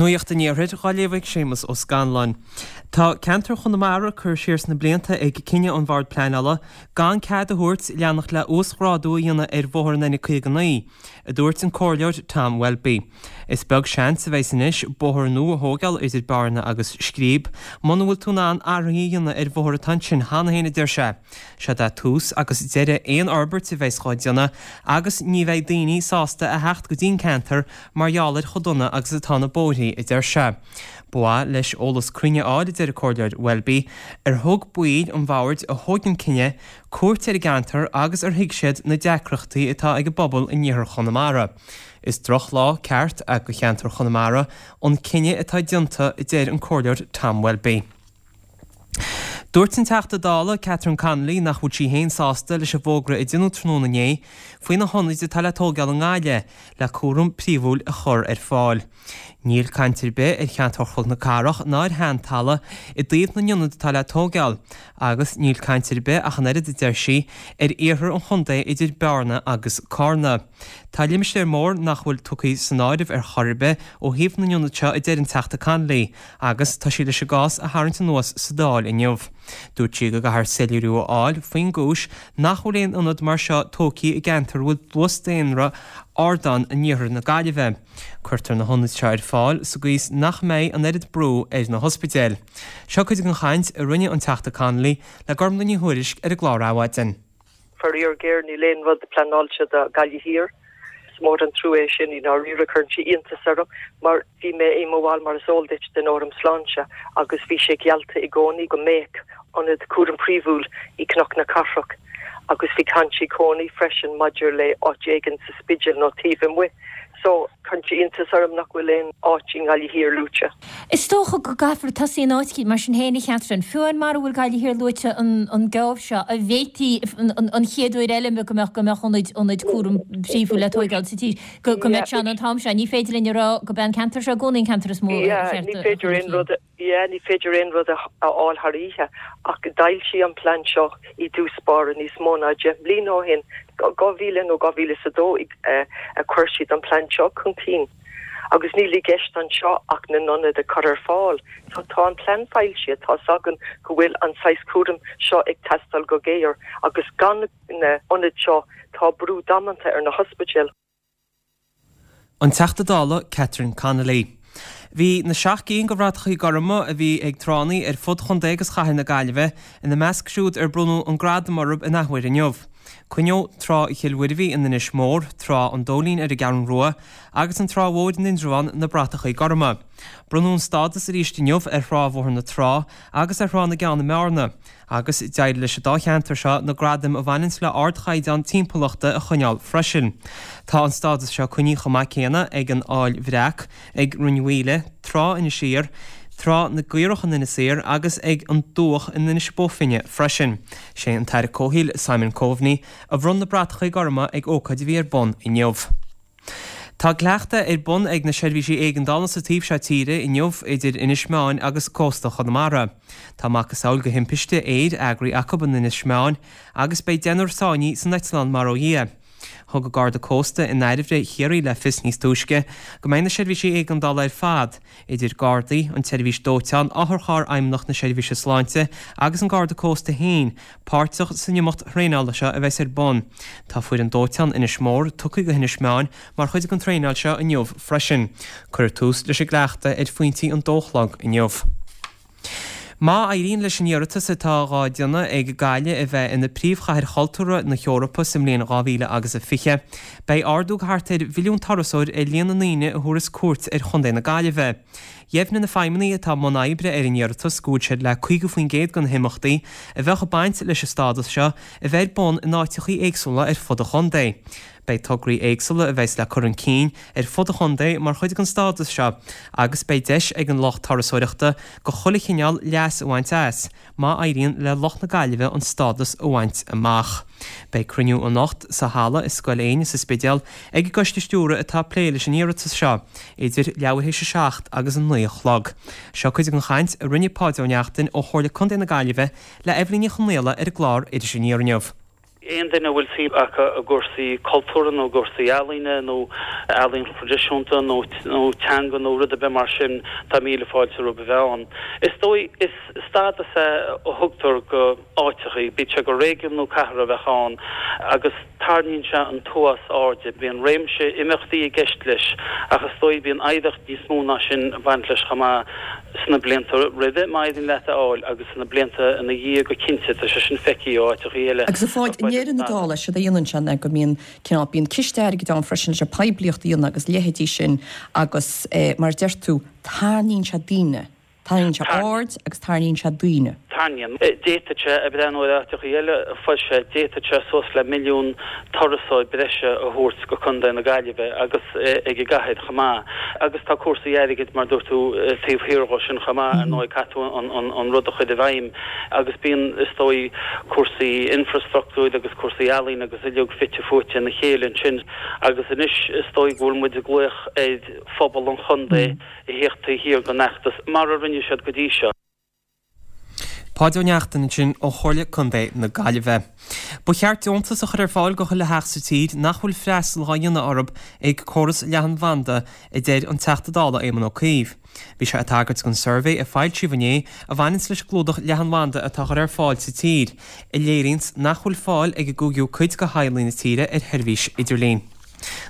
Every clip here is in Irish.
Nuacht an Iarthair dhá léamh ag Séamus Ó Scanláin. Tá ceantar Chonamara curtha siar sna blianta ag cinneadh an Bhord Pleanála gan cead a thabhairt leanacht le uasghrádú a dhéanamh ar bhóthar an N59, a dúirt an Comhairleoir Tom Welby. Is beag seans a bheas anois bóthar nua a thóigeáil idir Bearna agus Scríb muna bhfuil tú in ann athruithe a dhéanamh ar bhóthar atá ansin cheana féin, a deir sé. Seod é tús agus deireadh aon fhorbairt a bheas dhá déanamh agus ní bheidh daoine sásta a theacht go dtí an ceantar mar gheall ar chomh dona agus atá na bóithrí, a deir sé. Ba mhaith leis eolas cruinn a fháil, a deir an Comhairleoir Welby, ar thug baill an bhoird a thóg an cinneadh cuairt ar an gceantar agus ar thuig siad na deacrachtaí atá ag an bpobal in iarthar Chonamara. Is drochlá ceart é do cheantar Chonamara an cinneadh atá déanta, a deir an Comhairleoir Tom Welby. Dúirt an Teachta Dála Catherine Connolly nach bhfuil sí féin sásta leis an bhfógra a deineadh tráthnóna inné faoi na hionaid atá le tóigeáil i nGaillimh le cúram príomhúil a chur ar fáil. Níl caint ar bith ar cheantar Chnoc na Cathrach ná ar Sheantalamh i dtaobh na n-ionad atá le tóigeáil agus níl caint ar bith ach an oiread, a deir sí, ar iarthar an chontae idir Bearna agus Carna. Tá limistéar mór nach bhfuil tugtha san áireamh ar chor ar bith ó thaobh na n-ionad seo, a deir an Teachta Connolly. Agus tá sí leis an gcás a tharraingt anuas sa Dáil inniu. Dúirt sí go gcaithfear soiléiriú a fháil faoin gcúis nach bhfuil aon ionad mar seo tógtha i gceantar a bhfuil dlús daonra ard ann in iarthar na Gaillimhe. Cuirtear na hionaid seo ar fáil sa gcaoi is nach mbeidh an oiread brú ar na hospidéil. Seo cuid den chaint a rinne an Teachta Connolly le Gormlaith Ní Thuairisg ar an gclár Adhmhaidin. Faraor géar, níl aon rud pleanáilte do Ghaillimh Thiar. Is mór an trua é sin, i ndáiríre. Cuireann sé iontas orm mar bhí mé i mo bhall, mar is eol duit, den Fhóram Sláinte agus bhí sé geallta i gcónaí go mbeadh ionad cúraim phríomhúil i gCnoc na Cathrach agus bhí caint i gcónaí freisin maidir le áit éigin sa Spidéal nó taobh amuigh. So, cuireann sé iontas orm nach bhfuil aon áit i nGaillimh Thiar luaite. Is dócha go gcaithfear tosaí in áit eicínt, mar sin féin, a Chatherine. Fiú amháin mara bhfuil Gaillimh Thiar luaite an geábh seo, an bhféadfaí an chéad uair eile go mbeadh go mbeadh ionaid ionaid cúram príomhúil le tóigeáil sa tír, go go mbeadh sé ann an t-am seo. Ní féidir linn a rá go b'é an ceantar seo i gcónaí an ceantar is mó ar cheart a chur chun cinn. Yeah, ní féidir aon rud a fháil thar oíche, ach d'fhoilsigh an plean seo i dtús báire níos mó ná 10 mbliana ó shin, 2000 nó 2002 a chuir siad an plean seo chun cinn. Agus níl i gceist anseo ach na n-ionad a chur ar fáil. So tá an plean foilsithe, tá's againn go bhfuil an saghas cúraim seo ag teastáil go géar agus gan na hionaid seo tá brú damanta ar na hospidéil. An Teachta Dála Catherine Connolly. Bhí na 7 gcinn de bhratachaí gorma a bhí ag tránna ar fud chontae agus chathair na Gaillimhe ina measc siúd ar bronnadh an gradam orthu in athuair inniu. Coinníodh Trá Chill Mhuirbhigh in Inis Mór, Trá an Dóilín ar an gCeathrú Rua agus an Trá Mhór in Indreabhán na bratachaí gorma. Bronnadh an stádas arís inniu ar Thrá Bhóthar na Trá agus ar Thrá na gCeann i mBearna. Agus d'éirigh leis an dá cheantar seo na gradaim a bhaineanns le ardchaighdeán timpeallachta a choinneáil freisin. Tá an stádas seo coinnithe chomh maith céanna ag an Fhaill Bhreac, ag Rinn Mhaoile, Trá Inis Oírr, Trá na gCaorach in Inis Oírr agus ag an Dumhach in Inis Bó Finne freisin. Sé an tAire Comhshaoil Simon Coveney a bhronn na bratachaí gorma ag ócáid a bhí ar bun inniu. Tá cleachtadh ar bun ag na seirbhísí éigeandála sa taobh seo tíre inniu idir Inis Meáin agus cósta Chonamara. Tá macasamhail de thimpiste aeir eagraithe acu in Inis Meáin agus beidh deichniúr sáinnithe san eitleán mar ó Dhia. Thug an Garda Cósta in Dairbhre Chiarraí le fios níos túisce go mbeidh na seirbhísí éigeandála ar fad, idir Gardaí, an tSeirbhís Dóiteáin, Otharcharr Fheidhmeannacht na Seirbhíse Sláinte agus an Garda Cósta féin, páirteach san imeacht thraenála seo a bheas ar bun. Tá foireann dóiteáin Inis Mór tugtha go hInis Meáin mar chuid den traenáil seo inniu freisin. Cuirfear tús leis an gcleachtadh ar phointí an dó a chlog inniu. Má éiríonn leis an iarratas atá dhá déanamh ag Gaillimh a bheith ina príomhchathair chultúrtha na hEorpa sa mbliain 2020, beidh ardú thart ar mhilliún turasóir ar líon na ndaoine a thabharfas cuairt ar chontae na Gaillimhe. Dheimhnigh na feidhmeannaigh atá i mbun oibre ar an iarratas go bhfuil siad le 50% de na himeachtaí a bheadh ag baint leis an stádas seo a bheith ar bun in áiteachaí éagsúla ar fud an chontae. Beidh tograí éagsúla a bheas le cur chun cinn ar fud an chontae mar chuid den stádas seo agus beidh deis ag an lucht turasóireachta de chuile chineál leas a bhaint as. má éiríonn le lucht na Gaillimhe an stádas a bhaint amach. Beidh cruinniú anocht sa halla i Scoil Éinne sa Spidéal ag an gcoiste stiúrtha atá ag plé leis an iarratas seo, idir leathuair théis a 7 agus a 9 a chlog. Seo cuid den chaint a rinne Páid Ó Neachtain ó Chomhairle Contae na Gaillimhe le Eibhlín Ní Chonghaile ar an gclár Iris Aniar inniu. Aon duine a bhfuil suim acu i gcúrsaí cultúrtha nó i gcúrsaí ealaíne nó ealaín thraidisiúnta nó teanga nó rud ar bith mar sin, tá míle fáilte rompu a bheith ann. Is dóigh, is stádas é a thugtar go áiteachaí, bíodh sé gur réigiún nó cathair a bheadh ann, agus tarraingíonn sé an t-uafás airde. Bíonn réimse imeachtaí i gceist leis ach is dóigh bíonn oidhreacht níos mó ná sin ag baint leis chomh maith. sna blianta roimhe, má éiríonn leat é a fháil, agus sna blianta ina dhiaidh go cinnte, tá sé sin feicthe ó áiteachaí eile. Agus a Pháid, i ndeireadh na dála, séard a dhéanann sé ná go mbíonn cineál, bíonn ciste airgid ann freisin leis an poiblíocht a dhéanamh agus leithéidí sin agus mar a deir tú, tarraingíonn sé daoine, tarraingíonn sé aird agus tarraingíonn sé daoine. Tarraingíonn. D'fhéadfadh sé, ag breathnú ar áiteachaí eile a foilsithe, d'fhéadfadh sé suas le milliún turasóir breise a thabhairt go Contae na Gaillimhe agus ag an gcathair chomh maith. Agus tá cúrsaí airgid, mar a dúirt tú, taobh thiar dhó sin chomh maith, ar ndóigh, caithfidh tú an rud a chur i bhfeidhm agus bíonn, is dóigh, cúrsaí infreastruchtúir agus cúrsaí ealaíne agus uilig fite fuaite ina chéile ansin. Agus anois, is dóigh go bhfuil muid ag glaoch ar phobal an chontae a thíocht taobh thiar den fheachtas, mar a rinne siad go dtí seo. Páid Ó Neachtain ansin ó Chomhairle Contae na Gaillimhe. Ba cheart deontas a chur ar fáil go chuile theach sa tír nach bhfuil freastal dhá dhéanamh orthu ag córas leathanbhanda, a deir an Teachta Dála Éamon Ó Cuív. Bhí sé ag tagairt don suirbhé a foilsíodh inné a bhaineanns leis an gclúdach leathanbhanda atá á chur ar fáil sa tír, a léiríonns nach bhfuil fáil ag an gcúigiú cuid de theaghlaigh na tíre ar sheirbhís idirlín.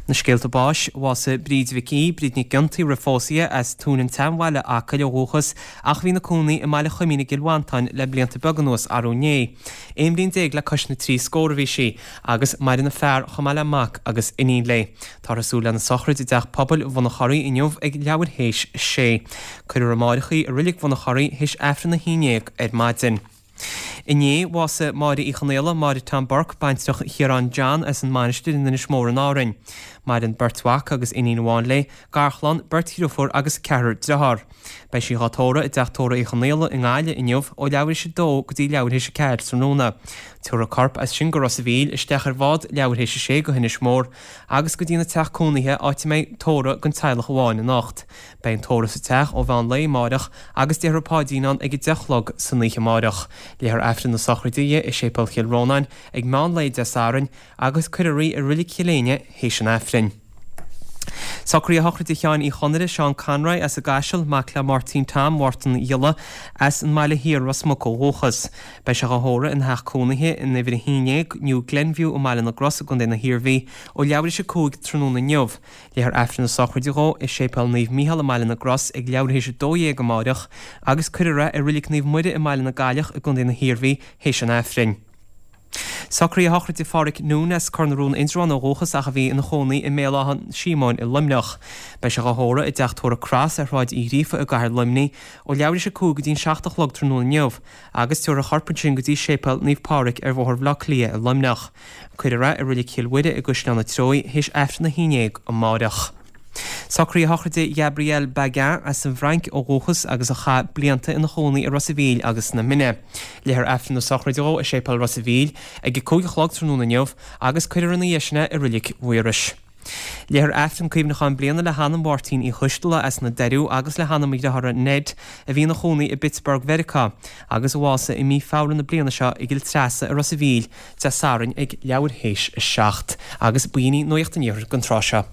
Na scéalta báis, Bhásaigh Bríd Mhic Aoidh, Bríd Nic Giontaigh roimh phósadh di, as Tóin an tSeanbhaile, Acaill ó dhúchas ach a bhí ina cónaí i mBaile Choimín i gCill Mhantáin le blianta beaga anuas arú inné. 11 bhliain le cois na dtrí scór a bhí sí agus maireann a fear chomh maith le mac agus iníon léi. Táthar ag súil lena sochraid i dTeach Pobail Bhun an Chorraigh inniu ag leathuair théis a sé. Cuirfear amáireach í i Reilig Bhun an Chorraigh théis Aifreann a haon déag ar maidin. Inné, bhásaigh Máire Uí Chonaola, Máire Tom Burke, baintreach Chiaráin John as an Mainistir in Inis Mór in Árainn. Maireann beirt mhac agus iníon amháin léi, garchlann, beirt dhriofúr agus ceathrar driotháir. Beidh sí dhá tórramh i dTeach Tórraimh Uí Chonaola i nGaillimh inniu ó leathuair théis a dó go dtí leathuair théis a ceathair tráthnóna. Tabharfar a corp as sin go Ros a' Mhíl, isteach ar bhád leathuair théis a sé go hInis Mór agus go dtína teach cónaithe áit a mbeidh tórramh don teaghlach amháin anocht. Beidh an tórramh sa teach ó mheán lae amáireach agus déarfar paidrín ann ag 10 a chlog san oíche amáireach. Léifear Aifreann na sochraide di i Séipéal Chill Rónáin ag meán lae Dé Sathairn agus cuirfear í i Reilig Chill Éinne théis an Aifrinn. Socruithe shochraide Sheáin Uí Chonaire, Seán Conroy, as an gCaiseal, mac le Máirtín Tom Mhártan Ghiolla, as an mBaile Thiar, Ros Muc ó dhúchas. Beidh sé dhá thórramh ina theach cónaithe in uimhir 11, New Glenview i mBaile na gCros i gContae na hIarmhí ó leathuair théis a 5 tráthnóna inniu. Léifear Aifreann na sochraide dhó i Séipéal Naomh Mícheál i mBaile na gCros ag leathuair théis 12 amáireach agus cuirfear é i Reilig Naomh Muire i mBaile na gCailleach i gContae na hIarmhí théis an Aifrinn. Socruithe shochraide Pháraic Noone as Cor na Rón Indreabhán ó dhúchas ach a bhí ina chónaí i mBéal Átha Síomóin i Luimneach. Beidh sé dhá thórramh i dTeach Tórraimh Cross ar Shráid Uí Ghríofa i gcathair Luimnigh ó leathuair théis 5 go dtí an 7 a chlog tráthnóna inniu agus tabharfar a chorp ansin go dtí Séipéal Naomh Pádraig ar Bhóthar Bhaile Átha Cliath i Luimneach. Cuirfear é i Reilig Chill Mhuire i gCaisleán an Treoigh théis Aifreann a haon dhéag amáireach. Socruithe shochraide Ghabriel Baguin as an bhFrainc ó dhúchas agus a chaith blianta ina chónaí i Ros a' Mhíl agus sna Mine. Léifear Aifreann na sochraide dhó i Séipéal Ros a' Mhíl ag a 5 a chlog tráthnóna inniu agus cuirfear ina dhiaidh sin é i Reilig Mhaorais. Léifear Aifreann cuimhneacháin bliana le hanam Mháirtín Uí Choisteala as na Doiriú agus le hanam a dhriothára Ned a bhí ina chónaí i bPittsburgh Mheiriceá agus a bhásaigh i mí Feabhra na bliana seo i gCill Treasa i Ros a' Mhíl Dé Sathairn ag leathuair théis a 7 agus b'in í Nuacht an Iarthair don tráth seo.